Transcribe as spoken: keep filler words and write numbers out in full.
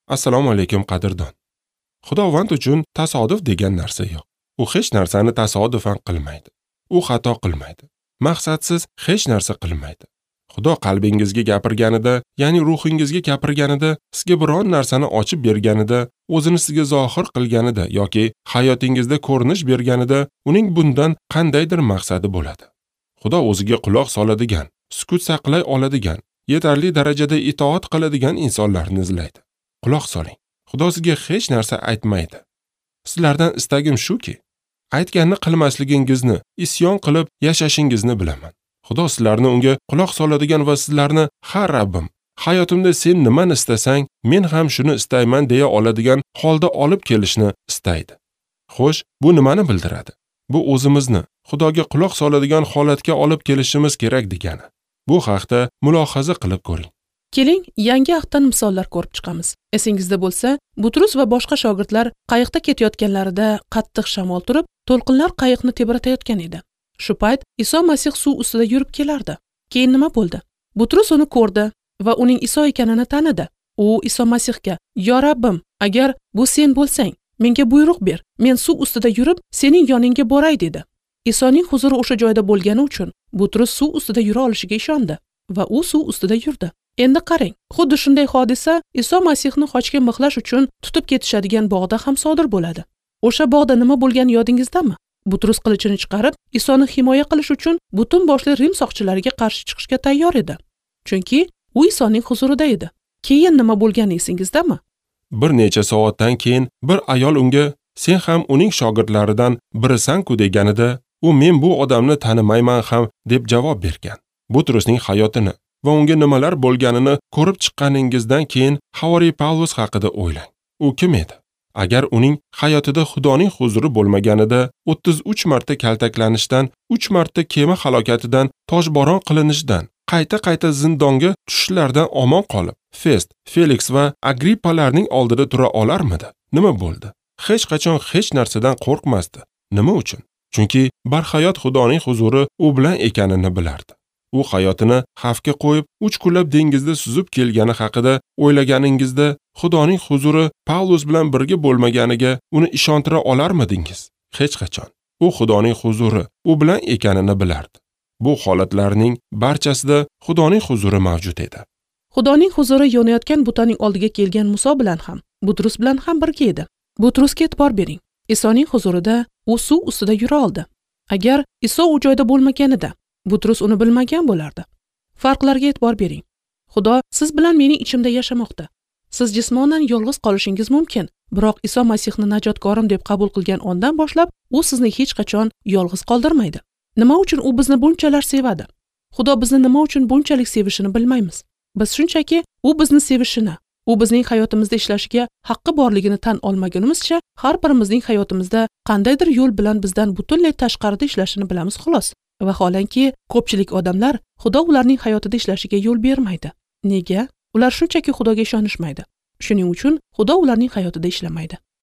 Assalomu alaykum qadrdon. Xudovand uchun tasodif degan narsa yo'q. U hech narsani tasodifan qilmaydi. U xato qilmaydi. Maqsadsiz hech narsa qilmaydi. Xudo qalbingizga gapirganida, ya'ni ruhingizga gapirganida, sizga biron narsani ochib berganida, o'zini sizga zohir qilganida yoki hayotingizda ko'rinish berganida uning bundan qandaydir maqsadi bo'ladi. Xudo o'ziga quloq soladigan, sukut saqlay oladigan, yetarli darajada itoat qiladigan insonlarni izlaydi. Quloq soling. Xudo sizga hech narsa aytmaydi. Sizlardan istagim shuki, aytganini qilmasligingizni, isyon qilib yashashingizni bilaman. Xudo sizlarni unga quloq soladigan va sizlarni "Ha Rabbim, hayotimda sen nimani istasang, men ham shuni istayman" deya oladigan holda olib kelishni istaydi. Xo'sh, bu nimani bildiradi? Bu o'zimizni Xudoga quloq soladigan holatga olib kelishimiz kerak degani. Bu haqda mulohaza qilib ko'ring. Keling, yangi ahddan misollar ko'rib chiqamiz. Esingizda bo'lsa, Butrus va boshqa shogirdlar qayiqda ketayotganlarida qattiq shamol turib, to'lqinlar qayiqni tebratayotgan edi. Shu payt Iso Masih suv ustida yurib kelardi. Keyin nima bo'ldi? Butrus uni ko'rdi va uning Iso ekanini tanidi. U Iso Masihga: "Yo Rabbim, agar bu sen bo'lsang, menga buyruq ber. Men suv ustida yurib, sening yoningga boray" dedi. Isoning huzuri o'sha joyda bo'lgani uchun Butrus suv ustida yura olishiga ishondi va u suv ustida yurdi. Endi qarang, xuddi shunday hodisa Iso Masihni xochga mixlash uchun tutib ketishadigan bog'da ham sodir bo'ladi. O'sha bog'da nima bo'lgani yodingizdami? Butrus qilichini chiqarib, Isoni himoya qilish uchun butun boshli Rim soqchilariga qarshi chiqishga tayyor edi. Chunki u Isoning huzurida edi. Keyin nima bo'lgani esingizdami? Bir necha soatdan keyin bir ayol unga "Sen ham uning shogirdlaridan birisan-ku" deganida, u "Men bu odamni tanimayman ham" deb javob bergan. Butrusning hayotini va unga nimalar bo'lganini ko'rib chiqqaningizdan keyin Havoriy Pavlus haqida o'ylang. U kim edi? Agar uning hayotida Xudoning huzuri bo'lmaganida, o'ttiz uch marta kaltaklanishdan, uch marta kema halokatidan, toshbo'ron qilinishidan, qayta-qayta zindonga tushishlardan omon qolib, Fest, Felix va Agrippalarning oldida tura olarmidi? Nima bo'ldi? Hech qachon hech narsadan qo'rqmasdi. Nima uchun? Chunki barhayot Xudoning huzuri u bilan ekanini bilardi. U hayotini xavfga qo'yib, uch kunlab dengizda suzib kelgani haqida o'ylaganingizda, Xudoning huzuri Pavlus bilan birga bo'lmaganiga uni ishontira olarmidingiz? Hech qachon. U Xudoning huzuri u bilan ekanini bilardi. Bu holatlarning barchasida Xudoning huzuri mavjud edi. Xudoning huzuri yonayotgan butaning oldiga kelgan Muso bilan ham, Butrus bilan ham birga edi. Butrusga e'tibor bering. Isoning huzurida u suv ustida yura oldi. Agar Iso u joyda bo'lmaganida, Butrus uni bilmagan bo'lardi. Farqlarga e'tibor bering. Xudo siz bilan mening ichimda yashamoqda. Siz jismonan yolg'iz qolishingiz mumkin, biroq Iso Masihni najotkorim deb qabul qilgan ondan boshlab u sizni hech qachon yolg'iz qoldirmaydi. Nima uchun u bizni bunchalar sevadi? Xudo bizni nima uchun bunchalik sevishini bilmaymiz. Biz shunchaki u bizni sevishini, u bizning hayotimizda ishlashiga haqqi borligini tan olmagunimizcha, har birimizning hayotimizda qandaydir yo'l bilan bizdan butunlay tashqarida ishlashini bilamiz xolos. Vaholanki, ko'pchilik odamlar Xudo ularning hayotida ishlashiga yo'l bermaydi. Nega? Ular shunchaki Xudoga ishonishmaydi. Shuning uchun Xudo ularning hayotida ishlamaydi.